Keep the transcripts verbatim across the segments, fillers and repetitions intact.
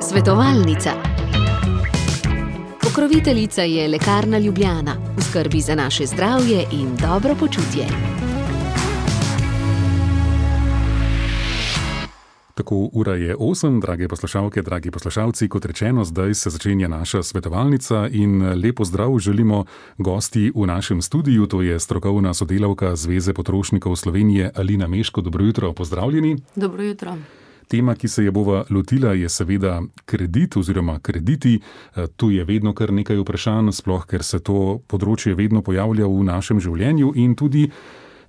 Svetovalnica. Pokroviteljica je Lekarna Ljubljana, v skrbi za naše zdravje in dobro počutje. Tako, ura je osem, drage poslušalke, dragi poslušalci, kot rečeno, zdaj se začenja naša svetovalnica in lepo zdrav želimo gosti v našem studiu, to je strokovna sodelavka Zveze potrošnikov Slovenije Alina Meško. Dobro jutro, pozdravljeni. Dobro jutro. Tema, ki se je bova lotila, je seveda kredit oziroma krediti. Tu je vedno kar nekaj vprašanj, sploh ker se to področje vedno pojavlja v našem življenju in tudi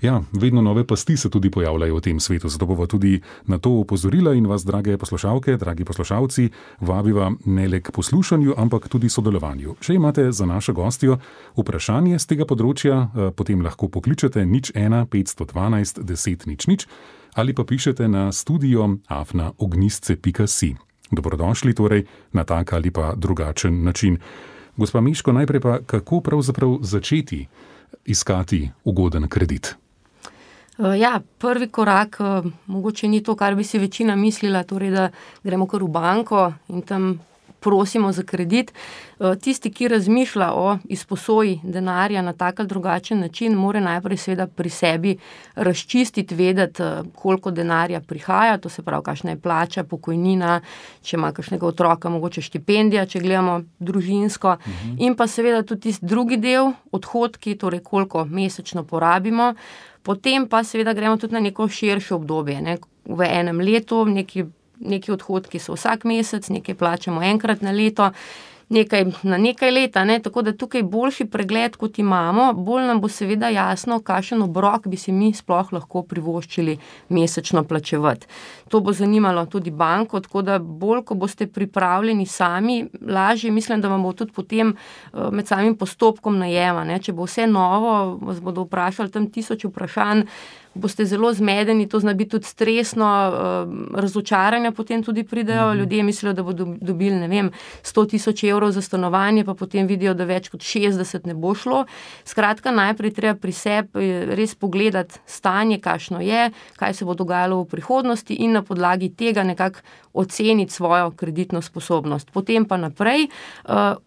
Ja, vedno nove pasti se tudi pojavljajo v tem svetu, zato bova tudi na to opozorila in vas, drage poslušalke, dragi poslušalci, vabiva ne le k poslušanju, ampak tudi sodelovanju. Če imate za našo gostjo vprašanje z tega področja, potem lahko pokličete nič ena petsto dvanajst deset nič nič ali pa pišete na studio afna ognistce pika si. Dobrodošli torej na tak ali pa drugačen način. Gospa Meško, najprej pa, kako pravzaprav začeti iskati ugoden kredit? Ja, prvi korak mogoče ni to, kar bi si večina mislila, torej da gremo kar v banko in tam prosimo za kredit. Tisti, ki razmišlja o izposoji denarja na tak ali drugačen način, mora najprej seveda pri sebi razčistiti, vedeti, koliko denarja prihaja, to se pravi, kakšna je plača, pokojnina, če ima kakšnega otroka, mogoče štipendija, če gledamo družinsko, uh-huh. in pa seveda tudi tisti drugi del, odhodki, torej koliko mesečno porabimo. Potem pa seveda gremo tudi na neko širše obdobje. Ne? V enem letu neki, neki odhodki so vsak mesec, nekaj plačamo enkrat na leto, nekaj na nekaj leta, ne? Tako da tukaj boljši pregled, kot imamo, bolj nam bo seveda jasno, kakšen obrok bi si mi sploh lahko privoščili mesečno plačevati. To bo zanimalo tudi banko, tako da bolj, ko boste pripravljeni sami, lažje mislim, da vam bo tudi potem med samim postopkom najema. Ne? Če bo vse novo, vas bodo vprašali tam tisoč vprašanj, boste zelo zmedeni, to zna biti tudi stresno, razočaranja potem tudi pridejo, mm-hmm. ljudje mislijo, da bodo dobili, ne vem, sto tisoč evrov za stanovanje, pa potem vidijo, da več kot šestdeset ne bo šlo. Skratka, najprej treba pri sebi res pogledati stanje, kakšno je, kaj se bo dogajalo v prihodnosti in na podlagi tega nekako oceniti svojo kreditno sposobnost. Potem pa naprej,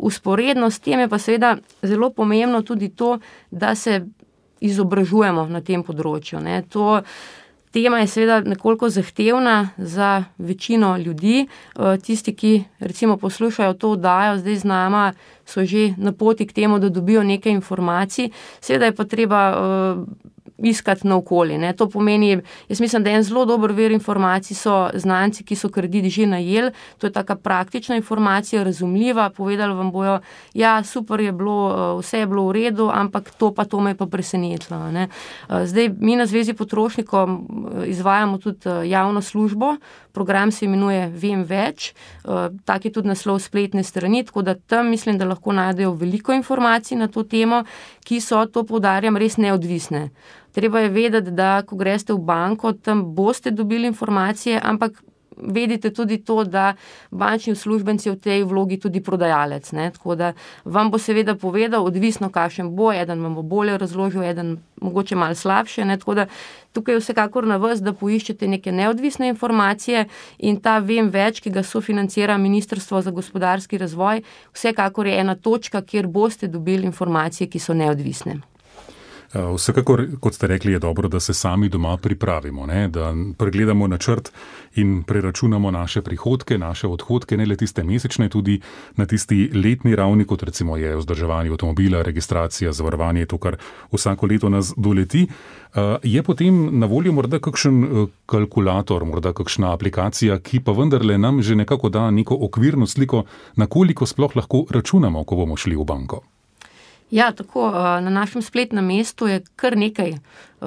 vzporedno s tem je pa seveda zelo pomembno tudi to, da se izobražujemo na tem področju. Ne. To tema je seveda nekoliko zahtevna za večino ljudi. Tisti, ki recimo poslušajo to oddajo, zdaj z nama so že na poti k temu, da dobijo nekaj informacij. Seveda je pa treba uh, iskati naokoli. Ne. To pomeni, jaz mislim, da en zelo dober vir informacij so znanci, ki so kredit že najeli. To je taka praktična informacija, razumljiva. Povedali vam bojo, ja, super je bilo, vse je bilo v redu, ampak to pa to me je pa presenetilo. Ne. Zdaj, mi na Zvezi potrošnikov izvajamo tudi javno službo. Program se imenuje Vem več. Tak je tudi naslov spletne strani, tako da tam mislim, da lahko najdejo veliko informacij na to temo, ki so, to poudarjam, res neodvisne. Treba je vedeti, da ko greste v banko, tam boste dobili informacije, ampak vedite tudi to, da bančni uslužbenci v tej vlogi tudi prodajalec. Ne? Tako da vam bo seveda povedal, odvisno kakšen bo, eden vam bo bolje razložil, eden mogoče malo slabše. Ne? Tako da tukaj je vsekakor na vas, da poiščete neke neodvisne informacije in ta Vem več, ki ga sofinancira Ministrstvo za gospodarski razvoj, vsekakor je ena točka, kjer boste dobili informacije, ki so neodvisne. Vsekakor, kot ste rekli, je dobro, da se sami doma pripravimo, ne? Da pregledamo načrt in preračunamo naše prihodke, naše odhodke, ne le tiste mesečne, tudi na tisti letni ravni, kot recimo je vzdrževanje avtomobila, registracija, zavarovanje, to, kar vsako leto nas doleti. Je potem na voljo morda kakšen kalkulator, morda kakšna aplikacija, ki pa vendarle nam že nekako da neko okvirno sliko, na koliko sploh lahko računamo, ko bomo šli v banko? Ja, tako, na našem spletnem mestu je kar nekaj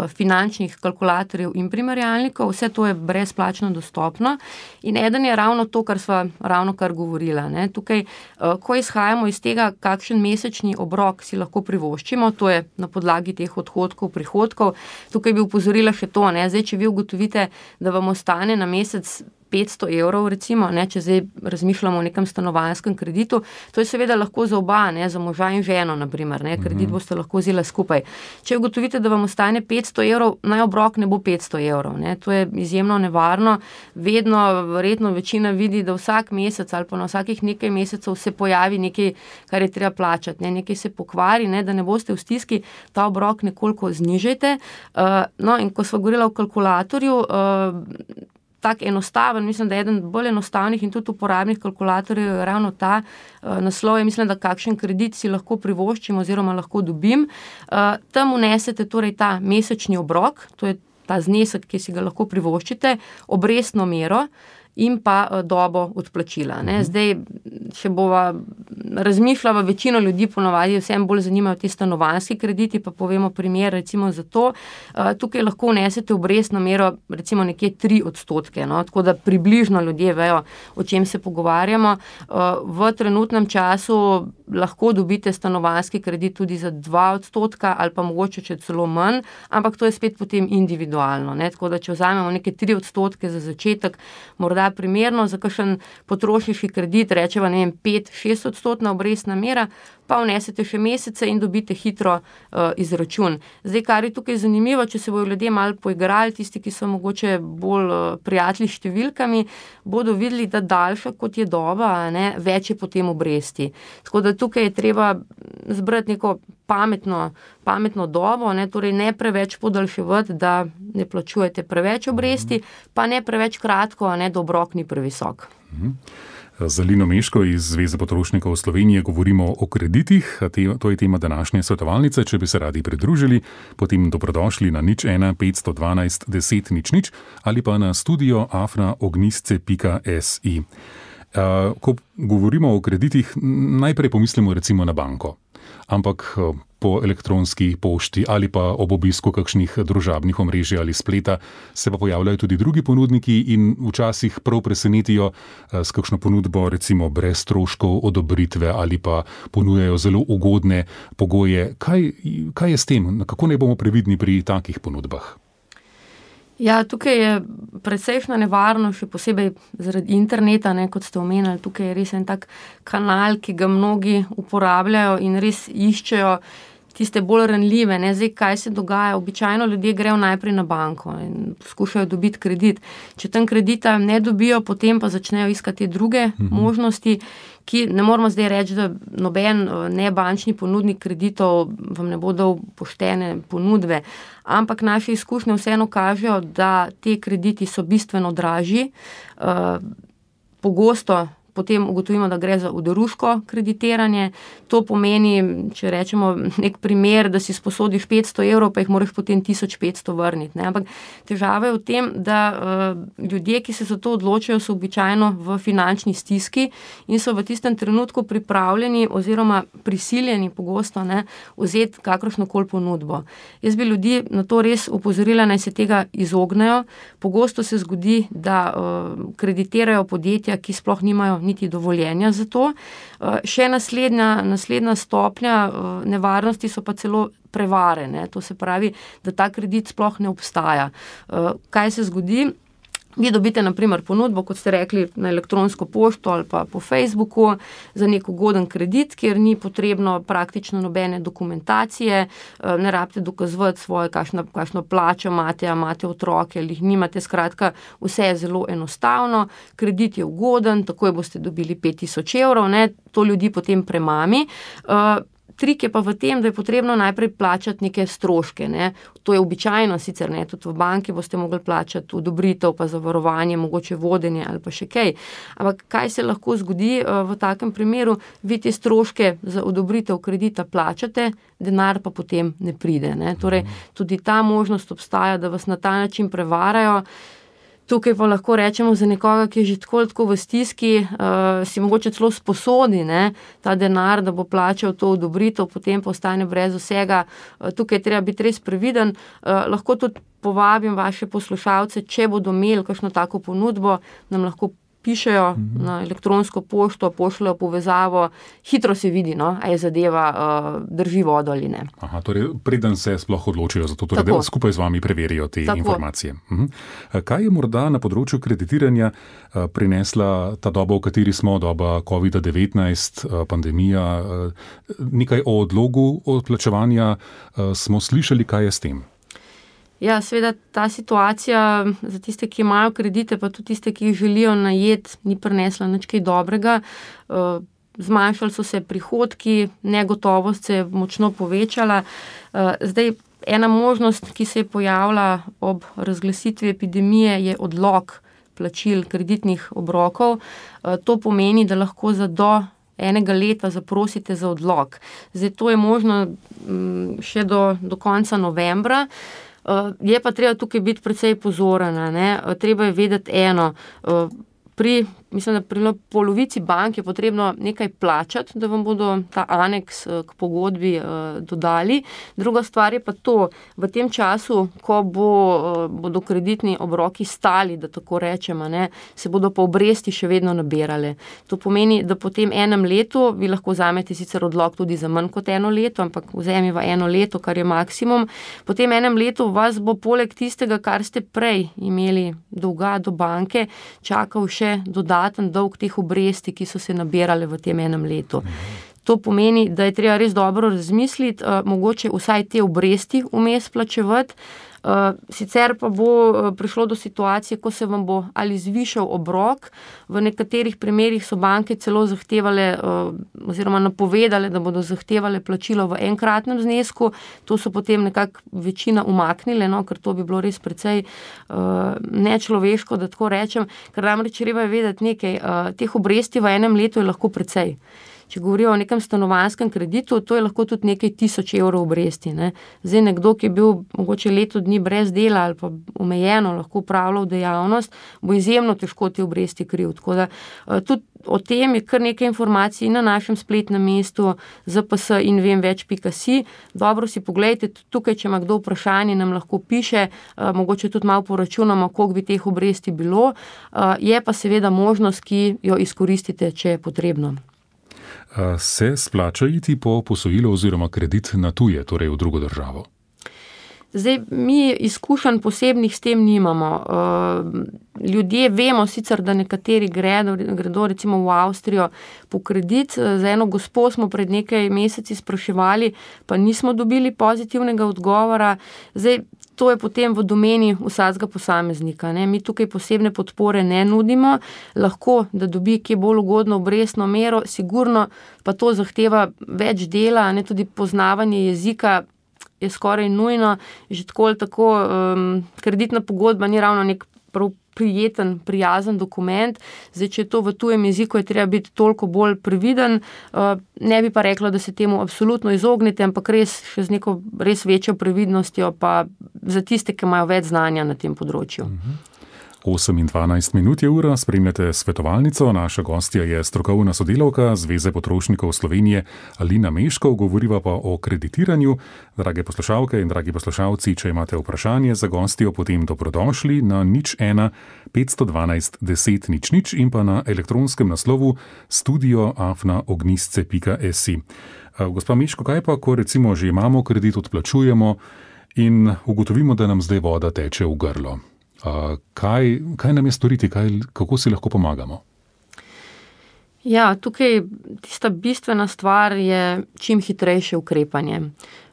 finančnih kalkulatorjev in primerjalnikov, vse to je brezplačno dostopno in eden je ravno to, kar sva ravno kar govorila. Ne. Tukaj, ko izhajamo iz tega, kakšen mesečni obrok si lahko privoščimo, to je na podlagi teh odhodkov, prihodkov, tukaj bi upozorila še to, ne. Zdaj, če vi ugotovite, da vam ostane na mesec petsto evrov, recimo, ne, če zdaj razmišljamo o nekem stanovanjskem kreditu, to je seveda lahko za oba, ne, za moža in ženo, naprimer, ne, kredit boste lahko vzela skupaj. Če ugotovite, da vam ostane petsto evrov, naj obrok ne bo petsto evrov, ne, to je izjemno nevarno. Vedno, verjetno večina vidi, da vsak mesec ali pa na vsakih nekaj mesecev se pojavi nekaj, kar je treba plačati, ne, nekaj se pokvari, ne, da ne boste v stiski, ta obrok nekoliko znižajte. Uh, no, in ko sva govorila o kalkulatorju, uh, tak enostaven, mislim, da je eden bolj enostavnih in tudi uporabnih kalkulatorjev je ravno ta uh, naslov, je mislim, da kakšen kredit si lahko privoščim oziroma lahko dobim. Uh, tam unesete torej ta mesečni obrok, to je ta znesek, ki si ga lahko privoščite, obrestno mero in pa uh, dobo odplačila. Ne. Zdaj, če bova razmišljala, večino ljudi ponavadi vsem bolj zanimajo te stanovanjski krediti, pa povemo primer recimo za to. Uh, tukaj lahko vnesete obrestno mero recimo nekje tri odstotke, no, tako da približno ljudje vejo, o čem se pogovarjamo. Uh, v trenutnem času lahko dobite stanovanjski kredit tudi za dva odstotka ali pa mogoče če celo manj, ampak to je spet potem individualno, ne, tako da če vzamemo neke tri odstotke za začetek, morda primerno za kakšen potrošniški kredit, rečeva, ne vem, pet, šest odstotna obrestna mera, pa vnesete še mesece in dobite hitro uh, izračun. Zdaj, kar je tukaj zanimivo, če se bojo ljudje malo poigrali, tisti, ki so mogoče bolj uh, prijatelji s številkami, bodo videli, da daljša kot je doba, ne, več je potem obresti. Tako da tukaj je treba zbrati neko pametno, pametno dobo, ne, torej ne preveč podaljševati, da ne plačujete preveč obresti, pa ne preveč kratko, ne, da obrok ni previsok. Mhm. Z Lino Meško iz Zveze potrošnikov Slovenije govorimo o kreditih. To je tema današnje svetovalnice. Če bi se radi pridružili, potem dobrodošli na nič ena petsto dvanajst deset nič nič ali pa na studio afna ognjisce pika si. Ko govorimo o kreditih, najprej pomislimo recimo na banko, ampak po elektronski pošti ali pa ob obisku kakšnih družabnih omrežij ali spleta se pa pojavljajo tudi drugi ponudniki in včasih prav presenetijo s kakšno ponudbo, recimo brez stroškov odobritve ali pa ponujajo zelo ugodne pogoje. Kaj, kaj je s tem? Kako naj bomo previdni pri takih ponudbah? Ja, tukaj je precejšna nevarno, še posebej zaradi interneta, ne, kot ste omenili, tukaj je res en tak kanal, ki ga mnogi uporabljajo in res iščejo tiste bolj ranljive, ne, zdaj kaj se dogaja, običajno ljudje grejo najprej na banko in poskušajo dobiti kredit. Če tam kredita ne dobijo, potem pa začnejo iskati druge mhm. možnosti, ki ne moramo zdaj reči, da noben nebančni ponudnik kreditov vam ne bo dal poštene ponudbe, ampak naše izkušnje vseeno kažejo, da te krediti so bistveno dražji, uh, pogosto potem ugotovimo, da gre za oderuško kreditiranje. To pomeni, če rečemo nek primer, da si sposodiš petsto evrov, pa jih moraš potem tisoč petsto vrniti. Ne? Ampak težava je v tem, da uh, ljudje, ki se za to odločajo, so običajno v finančni stiski in so v tistem trenutku pripravljeni oziroma prisiljeni pogosto ne, vzeti kakršnokoli ponudbo. Jaz bi ljudi na to res opozorila, naj se tega izognejo. Pogosto se zgodi, da uh, kreditirajo podjetja, ki sploh nimajo niti dovoljenja za to. Še naslednja, naslednja stopnja nevarnosti so pa celo prevare, ne? To se pravi, da ta kredit sploh ne obstaja. Kaj se zgodi? Vi dobite na primer ponudbo, kot ste rekli, na elektronsko pošto ali pa po Facebooku za nek ugoden kredit, kjer ni potrebno praktično nobene dokumentacije, ne rabite dokazovati svoje, kakšno, kakšno plačo imate, imate otroke ali jih nimate, skratka, vse je zelo enostavno, kredit je ugoden, takoj boste dobili pet tisoč evrov, ne, to ljudi potem premami. Trik je pa v tem, da je potrebno najprej plačati neke stroške. Ne. To je običajno sicer, ne, tudi v banki boste mogli plačati odobritev, pa zavarovanje, mogoče vodenje ali pa še kaj. Ampak kaj se lahko zgodi v takem primeru? Vi te stroške za odobritev kredita plačate, denar pa potem ne pride. Ne. Torej, tudi ta možnost obstaja, da vas na ta način prevarajo. Tukaj pa lahko rečemo za nekoga, ki je že tako, tako v stiski, uh, si mogoče celo sposodi ne, ta denar, da bo plačal to odobritev, potem pa ostane brez vsega. Uh, tukaj treba biti res previden. Uh, lahko tudi povabim vaše poslušalce, če bodo imeli kakšno tako ponudbo, nam lahko napišejo mm-hmm. na elektronsko pošto, pošljajo povezavo, hitro se vidi, no, a je zadeva uh, drži vodo ali ne. Aha, torej preden se sploh odločijo za to, torej da skupaj z vami preverijo te Tako. informacije. Mhm. Kaj je morda na področju kreditiranja uh, prinesla ta doba, v kateri smo, doba covid devetnajst, uh, pandemija, uh, nekaj o odlogu odplačevanja uh, smo slišali, kaj je s tem? Ja, seveda ta situacija za tiste, ki imajo kredite, pa tudi tiste, ki jih želijo najeti, ni prinesla nič kaj dobrega. Zmanjšali so se prihodki, negotovost se je močno povečala. Zdaj, ena možnost, ki se je pojavila ob razglasitvi epidemije, je odlog plačil kreditnih obrokov. To pomeni, da lahko za do enega leta zaprosite za odlog. Zdaj, to je možno še do, do konca novembra. Uh, je pa treba tukaj biti precej pozorna, ne? Uh, treba je vedeti eno, uh, pri, mislim, da pri polovici bank je potrebno nekaj plačati, da vam bodo ta aneks uh, k pogodbi uh, dodali. Druga stvar je pa to, v tem času, ko bo, uh, bodo kreditni obroki stali, da tako rečemo, ne, se bodo pa obresti še vedno nabirale. To pomeni, da po tem enem letu, vi lahko vzamete sicer odlog tudi za manj kot eno leto, ampak vzemiva eno leto, kar je maksimum. Po tem enem letu vas bo poleg tistega, kar ste prej imeli dolga do banke, čakal še dodaten dolg teh obresti, ki so se nabirale v tem enem letu. To pomeni, da je treba res dobro razmisliti, uh, mogoče vsaj te obresti vmes plačevati. Uh, sicer pa bo uh, prišlo do situacije, ko se vam bo ali zvišal obrok. V nekaterih primerih so banke celo zahtevale uh, oziroma napovedale, da bodo zahtevale plačilo v enkratnem znesku. To so potem nekako večina umaknile, no, ker to bi bilo res precej uh, nečloveško, da tako rečem, ker namreč treba je vedeti nekaj, uh, teh obresti v enem letu je lahko precej. Če govorijo o nekem stanovanjskem kreditu, to je lahko tudi nekaj tisoč evrov obresti. Ne. Zdaj nekdo, ki je bil mogoče leto dni brez dela ali pa omejeno lahko upravljal dejavnost, bo izjemno težko te obresti kril. Tako da tudi o tem je kar nekaj informacij na našem spletnem mestu z p s in vem več pika si. Dobro si pogledajte, tukaj, če ima kdo vprašanje, nam lahko piše, mogoče tudi malo poračunamo, koliko bi teh obresti bilo. Je pa seveda možnost, ki jo izkoristite, če je potrebno. Se splača iti po posojilo oziroma kredit na tuje, torej v drugo državo? Zdaj, mi izkušenj posebnih s tem nimamo. Ljudje vemo sicer, da nekateri gredo, gredo recimo v Avstrijo po kredit. Za eno gospo smo pred nekaj meseci spraševali, pa nismo dobili pozitivnega odgovora. Zdaj, to je potem v domeni vsakega posameznika. Ne? Mi tukaj posebne podpore ne nudimo. Lahko, da dobi kje bolj ugodno obrestno mero, sigurno pa to zahteva več dela, ne? Tudi poznavanje jezika je skoraj nujno. Že tako ali tako um, kreditna pogodba ni ravno nek prav prijeten, prijazen dokument. Zdaj, če je to v tujem jeziku, je treba biti toliko bolj previden. Uh, ne bi pa rekla, da se temu absolutno izognete, ampak res še z neko res večjo previdnostjo, pa za tiste, ki imajo več znanja na tem področju. Mhm. osem in dvanajst minut je ura, spremljate svetovalnico. Naša gostja je strokovna sodelavka Zveze potrošnikov Slovenije Alina Meškov, govoriva pa o kreditiranju. Drage poslušalke in dragi poslušalci, če imate vprašanje za gostjo, potem dobrodošli na nič ena petsto dvanajst deset nič nič in pa na elektronskem naslovu studio afna ognjisce pika si. Gospa Meško, kaj pa, ko recimo že imamo kredit, odplačujemo in ugotovimo, da nam zdaj voda teče v grlo? Uh, kaj, kaj nam je storiti, kaj, kako si lahko pomagamo? Ja, tukaj tista bistvena stvar je čim hitrejše ukrepanje.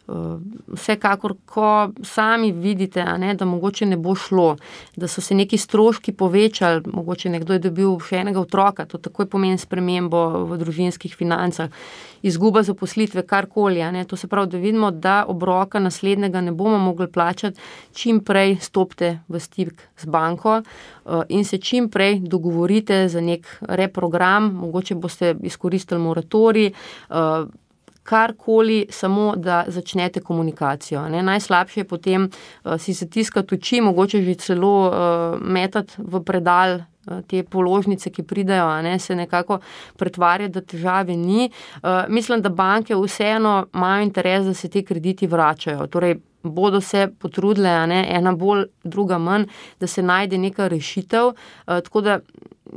Uh, vsekakor, ko sami vidite, a ne, da mogoče ne bo šlo, da so se neki stroški povečali, mogoče nekdo je dobil še enega otroka, to takoj pomeni spremembo v družinskih financah, izguba zaposlitve, karkoli, a ne, to se pravi, da vidimo, da obroka naslednjega ne bomo mogli plačati, čim prej stopite v stik z banko uh, in se čim prej dogovorite za nek reprogram, mogoče boste izkoristili moratorij, uh, karkoli, samo da začnete komunikacijo. Ne. Najslabše je potem uh, si zatiskati oči, mogoče že celo uh, metati v predal uh, te položnice, ki pridajo, a ne, se nekako pretvarja, da težave ni. Uh, mislim, da banke vseeno imajo interes, da se te krediti vračajo. Torej, bodo se potrudile, a ne, ena bolj, druga manj, da se najde neka rešitev. Uh, tako da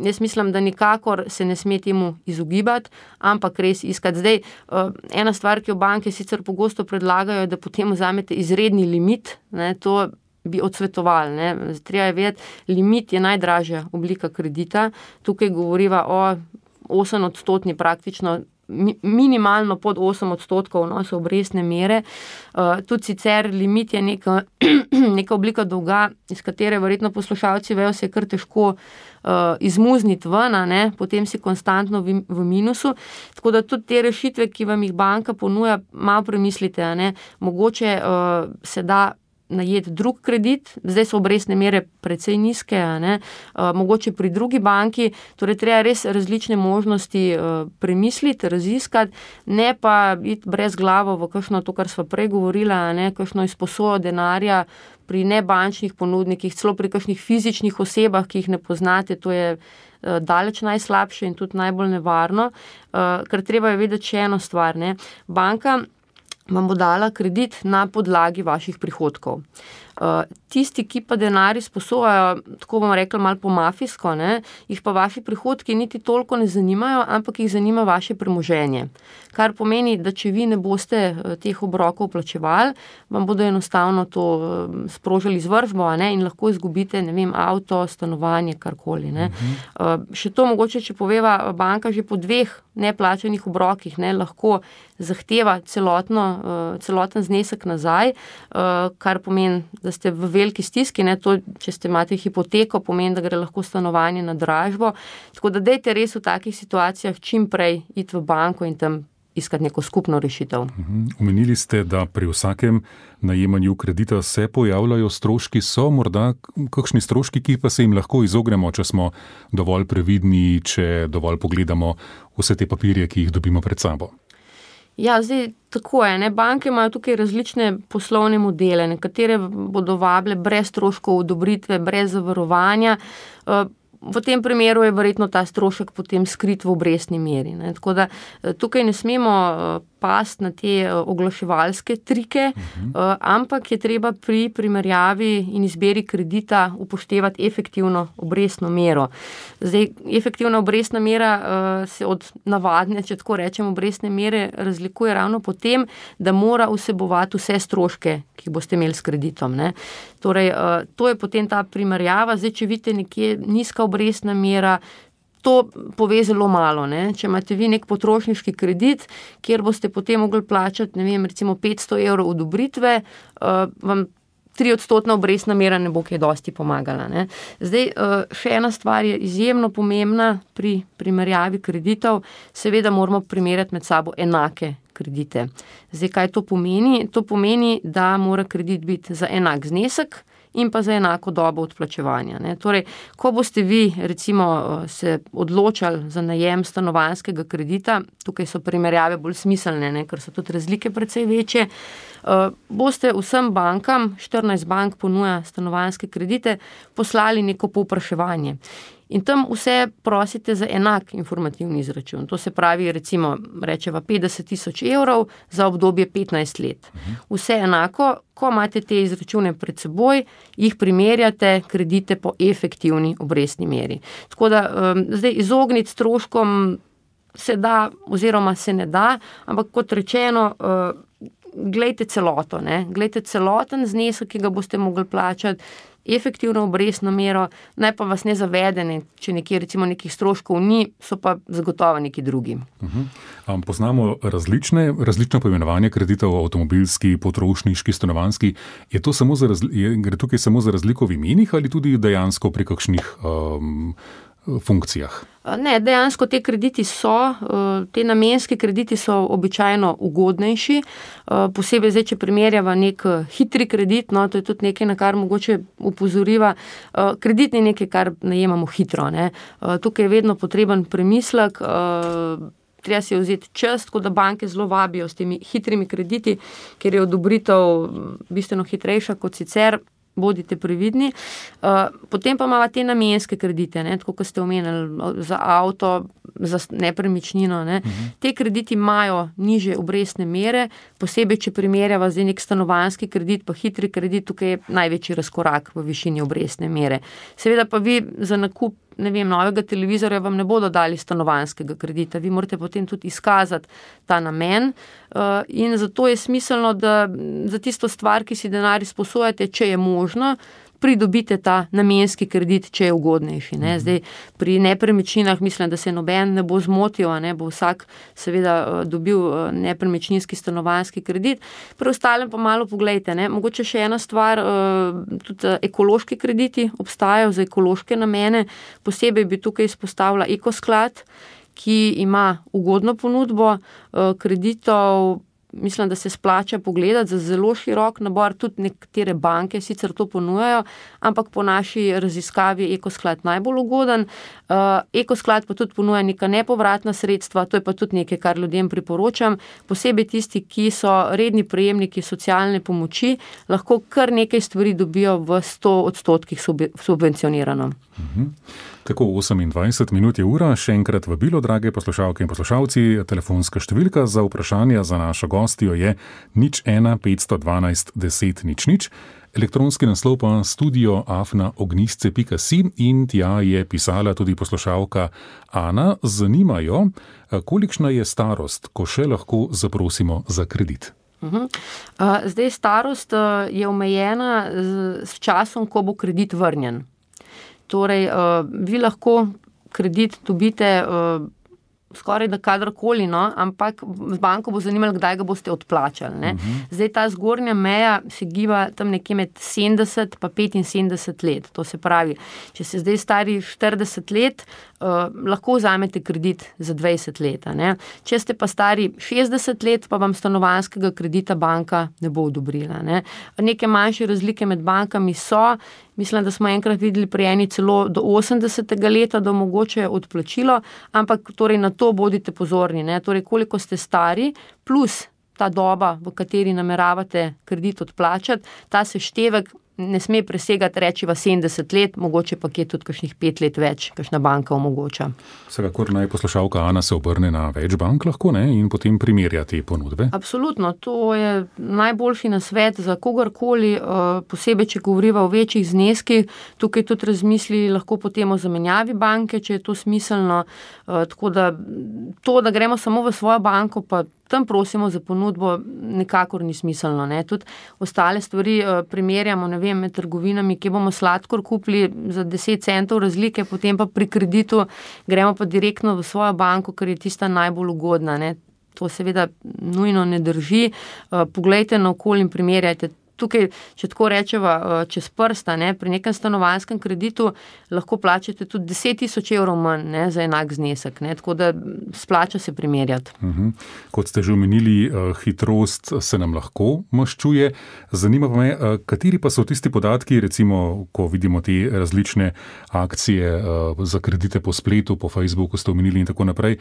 jaz mislim, da nikakor se ne sme temu izogibati, ampak res iskati. Zdaj, ena stvar, ki jo banke sicer pogosto predlagajo, je, da potem vzamete izredni limit, ne, to bi odsvetovali. Ne. Treba je vedeti, limit je najdražja oblika kredita. Tukaj govoriva o osem odstotni praktično, minimalno pod osem odstotkov, no, so obrestne mere. Uh, tudi sicer limit je neka, neka oblika dolga, iz katere verjetno poslušalci vejo, se je kar težko uh, izmuzniti ven, ne, potem si konstantno v, v minusu. Tako da tudi te rešitve, ki vam jih banka ponuja, malo premislite, ne, mogoče uh, se da najeti drug kredit, zdaj so obrestne mere precej nizke, ne, uh, mogoče pri drugi banki, torej treba res različne možnosti uh, premisliti, raziskati, ne pa iti brez glavo v kakšno to, kar sva prej govorila, ne, kakšno izposojo denarja pri nebančnih ponudnikih, celo pri kakšnih fizičnih osebah, ki jih ne poznate, to je uh, daleč najslabše in tudi najbolj nevarno, uh, ker treba je vedeti še eno stvar, ne, banka vam bo dala kredit na podlagi vaših prihodkov. Uh, tisti, ki pa denar izposojajo, tako bomo rekli malo po mafijsko, ne, jih pa vaši prihodki niti toliko ne zanimajo, ampak jih zanima vaše premoženje. Kar pomeni, da če vi ne boste teh obrokov plačevali, vam bodo enostavno to sprožili izvršbo, ne, in lahko izgubite, ne vem, avto, stanovanje, karkoli. Ne. Uh, še to mogoče, če poveva, banka že po dveh neplačanih obrokih, ne, lahko zahteva celotno, uh, celoten znesek nazaj, uh, kar pomeni, da ste v veliki stiski, ne, to, če ste imate hipoteko, pomeni, da gre lahko stanovanje na dražbo. Tako da dajte res v takih situacijah čim prej iti v banko in tam iskati neko skupno rešitev. Omenili ste, da pri vsakem najemanju kredita se pojavljajo stroški, so morda kakšni stroški, ki pa se jim lahko izognemo, če smo dovolj previdni, če dovolj pogledamo vse te papirje, ki jih dobimo pred sabo. Ja, zdaj tako je, ne, banke imajo tukaj različne poslovne modele, nekatere bodo vabile brez stroškov odobritve, brez zavarovanja. V tem primeru je verjetno ta strošek potem skrit v obrestni meri. Ne. Tako da tukaj ne smemo pasti na te oglaševalske trike, uh-huh. ampak je treba pri primerjavi in izbiri kredita upoštevati efektivno obrestno mero. Zdaj, efektivna obrestna mera se od navadne, če tako rečem, obrestne mere razlikuje ravno po tem, da mora vsebovati vse stroške, ki jih boste imeli s kreditom. Ne. Torej, to je potem ta primerjava. Zdaj, če vidite nekje nizka obrestna mera, to pove zelo malo. Ne. Če imate vi nek potrošniški kredit, kjer boste potem mogli plačati, ne vem, recimo petsto evrov odobritve, uh, vam tri odstotna obrestna mera ne bo kaj dosti pomagala. Ne. Zdaj, uh, še ena stvar je izjemno pomembna pri primerjavi kreditov, seveda moramo primerjati med sabo enake kredite. Zdaj, kaj to pomeni? To pomeni, da mora kredit biti za enak znesek in pa za enako dobo odplačevanja. Ne. Torej, ko boste vi recimo se odločali za najem stanovanjskega kredita, tukaj so primerjave bolj smiselne, ne, ker so tudi razlike precej večje, uh, boste vsem bankam, štirinajst bank ponuja stanovanjske kredite, poslali neko povpraševanje. In tam vse prosite za enak informativni izračun. To se pravi, recimo, rečeva petdeset tisoč evrov za obdobje petnajst let. Vse enako, ko imate te izračune pred seboj, jih primerjate kredite po efektivni obrestni meri. Tako da um, zdaj izogniti stroškom se da oziroma se ne da, ampak kot rečeno, uh, glejte celoto, ne? Glejte celoten znesek, ki ga boste mogli plačati, efektivno obrestno mero, naj pa vas ne zavedene, če nekje recimo nekih stroškov ni, so pa zagotovo neki drugi. Uh-huh. Um, poznamo različne, različno poimenovanje kreditov, avtomobilski, potrošniški, stanovanjski. Je to samo za razli- je, gre tukaj samo za razliko v imenih ali tudi dejansko pri kakšnih um, funkcijah? Ne, dejansko te krediti so, te namenski krediti so običajno ugodnejši, posebej zdaj, če primerjava nek hitri kredit, no, to je tudi nekaj, na kar mogoče upozoriva, kredit ni nekaj, kar najemamo hitro, ne. Tukaj je vedno potreben premislek, treba si vzeti čas, tako da banke zelo vabijo s temi hitrimi krediti, ker je odobritev bistveno hitrejša kot sicer, bodite previdni. Potem pa imamo te namenske kredite, ne, tako kot ste omenili, za avto, za nepremičnino. Ne. Uh-huh. Te krediti imajo nižje obrestne mere, posebej, če primerjava zdaj nek stanovanjski kredit, pa hitri kredit, tukaj je največji razkorak v višini obrestne mere. Seveda pa vi za nakup ne vem, novega televizorja vam ne bodo dali stanovanjskega kredita, vi morate potem tudi izkazati ta namen in zato je smiselno, da za tisto stvar, ki si denar izposojate, če je možno, pridobite ta namenski kredit, če je ugodnejši. Ne. Zdaj, pri nepremičninah mislim, da se noben ne bo zmotil, ne, bo vsak seveda dobil nepremičninski stanovanjski kredit. Pri ostalem pa malo poglejte, ne. Mogoče še ena stvar, tudi ekološki krediti obstajajo za ekološke namene, posebej bi tukaj izpostavila Ekosklad, ki ima ugodno ponudbo kreditov. Mislim, da se splača pogledati za zelo širok nabor, tudi nekatere banke sicer to ponujajo, ampak po naši raziskavi je Ekosklad najbolj ugoden. Ekosklad pa tudi ponuja neka nepovratna sredstva, to je pa tudi nekaj, kar ljudem priporočam, posebej tisti, ki so redni prejemniki socialne pomoči, lahko kar nekaj stvari dobijo v sto odstotkih subvencionirano. Mhm. Tako osemindvajset minut je ura, še enkrat vabilo, drage poslušalke in poslušalci, telefonska številka za vprašanja za našo gostjo je nič ena petsto dvanajst deset nič nič, elektronski naslov pa studio afna ognjisce pika si in tja je pisala tudi poslušalka Ana. Zanimajo, kolikšna je starost, ko še lahko zaprosimo za kredit? Uhum. Zdaj, starost je omejena s časom, ko bo kredit vrnjen. Torej, vi lahko kredit dobite skoraj da kadarkoli, no, ampak z banko bo zanimalo, kdaj ga boste odplačali. Ne. Uh-huh. Zdaj, ta zgornja meja se giba tam nekje med sedemdeset pa petinsedemdeset let. To se pravi, če se zdaj stari štirideset let, uh, lahko vzamete kredit za dvajset let. Ne. Če ste pa stari šestdeset let, pa vam stanovanjskega kredita banka ne bo odobrila. Ne. Neke manjše razlike med bankami so. Mislim, da smo enkrat videli pri eni celo do osemdesetega leta, da omogočajo odplačilo, ampak torej na to bodite pozorni. Ne? Torej, koliko ste stari, plus ta doba, v kateri nameravate kredit odplačati, ta seštevek ne sme presegati rečiva sedemdeset let, mogoče pa je tudi kakšnih pet let več, kakšna banka omogoča. Vsekakor naj poslušalka Ana se obrne na več bank lahko, ne, in potem primerja te ponudbe. Absolutno, to je najboljši nasvet za kogarkoli, posebej, če govoriva o večjih zneskih, tukaj tudi razmisli lahko potem o zamenjavi banke, če je to smiselno, tako da to, da gremo samo v svojo banko, pa tam prosimo za ponudbo, nekakor ni smiselno. Ne. Tudi ostale stvari primerjamo, ne vem, med trgovinami, kje bomo sladkor kupili za deset centov razlike, potem pa pri kreditu gremo pa direktno v svojo banko, ker je tista najbolj ugodna. Ne. To seveda nujno ne drži. Poglejte naokoli in primerjajte. Tukaj, če tako rečeva, čez prsta, ne, pri nekem stanovanjskem kreditu lahko plačate tudi deset tisoč evrov manj, ne, za enak znesek, ne, tako da splača se primerjati. Uh-huh. Kot ste že omenili, hitrost se nam lahko maščuje. Zanima me, kateri pa so tisti podatki, recimo, ko vidimo te različne akcije za kredite po spletu, po Facebooku ste omenili in tako naprej,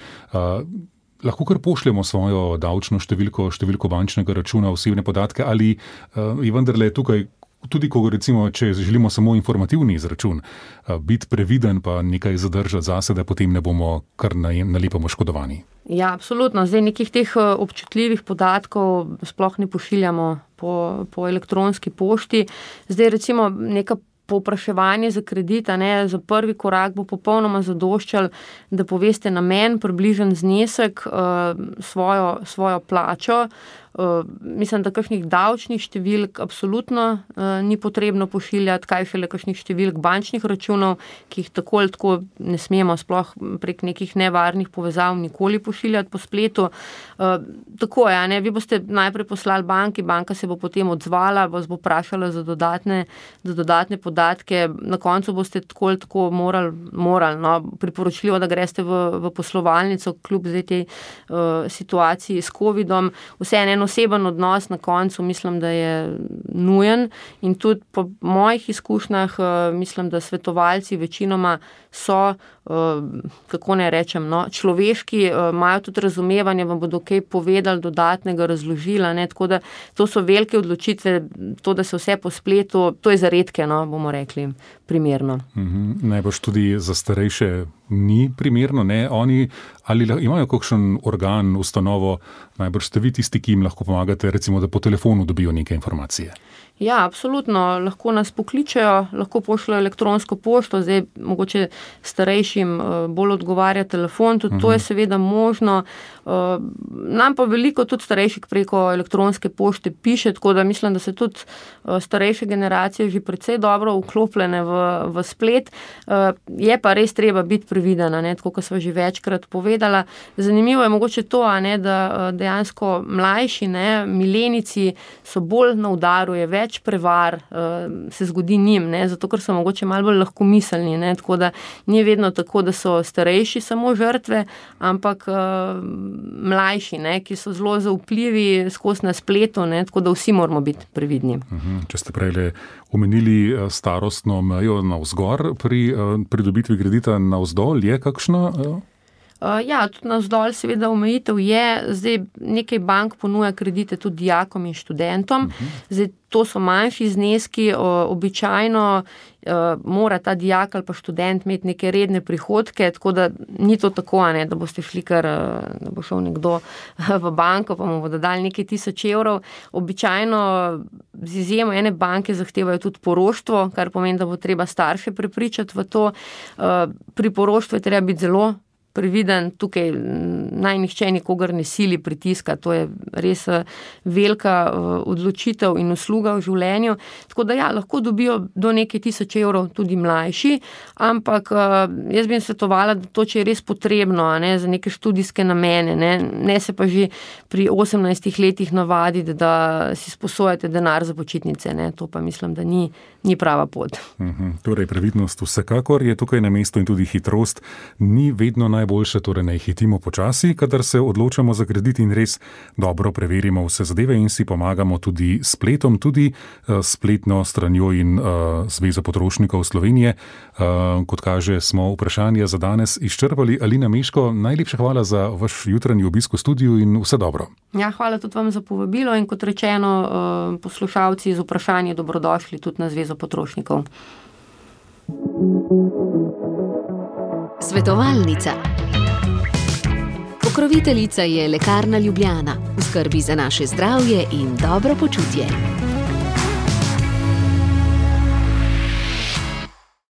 lahko kar pošljemo svojo davčno številko, številko bančnega računa, osebne podatke, ali uh, je vendarle tukaj, tudi ko recimo, če želimo samo informativni izračun, uh, biti previden pa nekaj zadržati zase, da potem ne bomo kar nalepo oškodovani. Ja, absolutno. Zdaj nekih teh občutljivih podatkov sploh ne pošiljamo po, po elektronski pošti. Zdaj recimo neka povpraševanje za kredit, ne, za prvi korak bo popolnoma zadoščal, da poveste namen, približen znesek, svojo, svojo plačo. Mislim, da kakšnih davčnih številk absolutno ni potrebno pošiljati, kaj šele kakšnih številk bančnih računov, ki jih tako ali tako ne smemo sploh prek nekih nevarnih povezav nikoli pošiljati po spletu. Tako je, ne, vi boste najprej poslali banki, banka se bo potem odzvala, vas bo vprašala za dodatne, za dodatne podatke, na koncu boste tako ali tako morali, morali, no, priporočljivo, da greste v, v poslovalnico, kljub zdaj tej uh, situaciji s covidom. Vseeno en oseben odnos na koncu mislim, da je nujen in tudi po mojih izkušnjah mislim, da svetovalci večinoma so, kako ne rečem, no, človeški, imajo tudi razumevanje, vam bodo kaj povedali, dodatnega razložila, ne, tako da to so velike odločitve, to, da se vse po spletu, to je za redke, no, bomo bomo rekli, primerno. Mhm. Najbrž tudi za starejše ni primerno, ne? Oni ali imajo kakšen organ, ustanovo, najbrž ste vi tisti, ki jim lahko pomagate, recimo, da po telefonu dobijo neke informacije? Ja, absolutno. Lahko nas pokličejo, lahko pošljajo elektronsko pošto, zdaj mogoče starejšim bolj odgovarja telefon, tudi uh-huh. to je seveda možno. Nam pa veliko tudi starejših preko elektronske pošte piše, tako da mislim, da se tudi starejše generacije že precej dobro vklopljene v, v splet. Je pa res treba biti previdena, ne, tako kot sva že večkrat povedala. Zanimivo je mogoče to, a ne, da dejansko mlajši, ne, milenici so bolj na udaru, je več prevar uh, se zgodi njim, ne, zato ker so mogoče malo bolj lahkomiselni, ne, tako da ni vedno tako, da so starejši samo žrtve, ampak uh, mlajši, ne, ki so zelo zaupljivi skozi na spletu, ne, tako da vsi moramo biti previdni. Uhum, če ste prej omenili starostno mejo navzgor pri uh, pridobitvi kredita, navzdol je kakšna? Uh? Uh, ja, tudi navzdol seveda omejitev je, zdaj nekaj bank ponuja kredite tudi dijakom in študentom, uh-huh. zdaj to so manjši zneski, o, običajno uh, mora ta dijak ali pa študent imeti neke redne prihodke, tako da ni to tako, ne, da boste šli kar, da bo šel nekdo v banko, pa mu bodo dali nekaj tisoč evrov. Običajno z izjemo ene banke zahtevajo tudi poroštvo, kar pomeni, da bo treba starše prepričati v to. Uh, pri poroštvu je treba biti zelo previden, tukaj naj nihče nikogar ne sili pritiska, to je res velika odločitev in usluga v življenju, tako da ja, lahko dobijo do nekaj tisoč evrov tudi mlajši, ampak jaz bi jim svetovala, da to, če je res potrebno, ne, za neke študijske namene, ne, ne se pa že pri osemnajstih letih navaditi, da si sposojate denar za počitnice, ne, to pa mislim, da ni, ni prava pot. Mhm. Torej, previdnost vsekakor je tukaj na mestu in tudi hitrost ni vedno najbolj boljše, torej ne hitimo počasi, kadar se odločamo za kredit in res dobro preverimo vse zadeve in si pomagamo tudi spletom, tudi uh, spletno stranjo in uh, Zveza potrošnikov Slovenije. Uh, kot kaže, smo vprašanje za danes izčrpali. Alina Meško, najlepša hvala za vaš jutranji obisk v studiu in vse dobro. Ja, hvala tudi vam za povabilo in kot rečeno, uh, poslušalci z vprašanji dobrodošli tudi na Zvezo potrošnikov. Svetovalnica. Pokroviteljica je Lekarna Ljubljana, v skrbi za naše zdravje in dobro počutje.